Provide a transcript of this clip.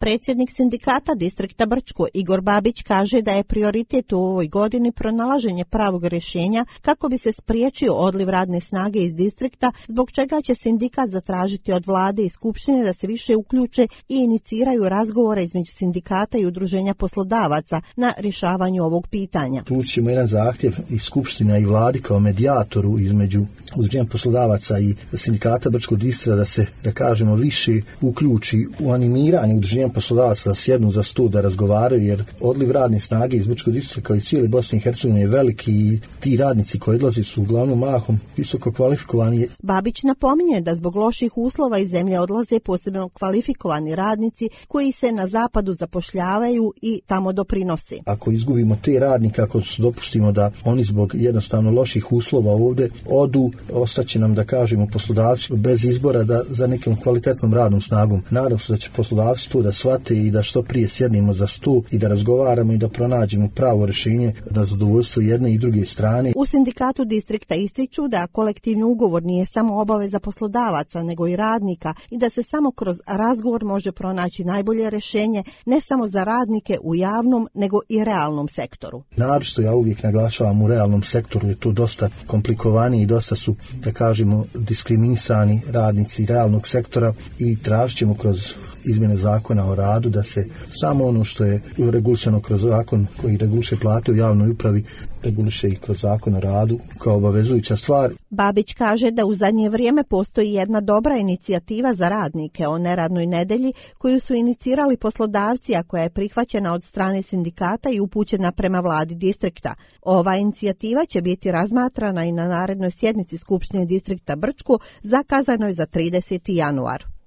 Predsjednik sindikata distrikta Brčko Igor Babić kaže da je prioritet u ovoj godini pronalaženje pravog rješenja kako bi se spriječio odliv radne snage iz distrikta, zbog čega će sindikat zatražiti od vlade i skupštine da se više uključe i iniciraju razgovore između sindikata i udruženja poslodavaca na rješavanju ovog pitanja. Tu ćemo jedan zahtjev i skupština i vladi kao medijatoru između udruženja poslodavaca i sindikata Brčkog distrikta da se, da kažemo, više uključi u animiranje udruženja poslodavaca da sjednu za stol da razgovaraju, jer odliv radne snage iz Brčkog distrikta kao i cijele Bosne i Hercegovine je veliki i ti radnici koji odlaze su uglavnom mahom visoko kvalifikovani. Babić napominje da zbog loših uslova iz zemlje odlaze posebno kvalifikovani radnici koji se na zapadu zapošljavaju i tamo doprinose. Ako izgubimo te radnike, ako dopustimo da oni zbog jednostavno loših uslova ovdje odu, ostaće nam, da kažemo, poslodavci bez izbora da za nekom kvalitetnom radnom snagom. Nadam se da će poslodavci to da shvate i da što prije sjednemo za stol i da razgovaramo i da pronađemo pravo rješenje na zadovoljstvo jedne i druge strane. U sindikatu distrikta ističu da kolektivni ugovor nije samo obaveza poslodavaca nego i radnika i da se samo kroz razgovor može pronaći najbolje rješenje ne samo za radnike u javnom nego i realnom sektoru. Naročito ja uvijek naglašavam u realnom sektoru je to dosta komplikovanije i dosta su, da kažemo, diskriminisani radnici realnog sektora i tražit ćemo kroz izmjene zakona o radu da se samo ono što je regulisano kroz zakon koji reguliše plate u javnoj upravi reguliše i kroz zakon o radu kao obavezujuća stvar. Babić kaže da u zadnje vrijeme postoji jedna dobra inicijativa za radnike o neradnoj nedjelji koju su inicirali poslodavci, a koja je prihvaćena od strane sindikata i upućena prema vladi distrikta. Ova inicijativa će biti razmatrana i na narednoj sjednici Skupštine distrikta Brčko zakazanoj za 30. januar.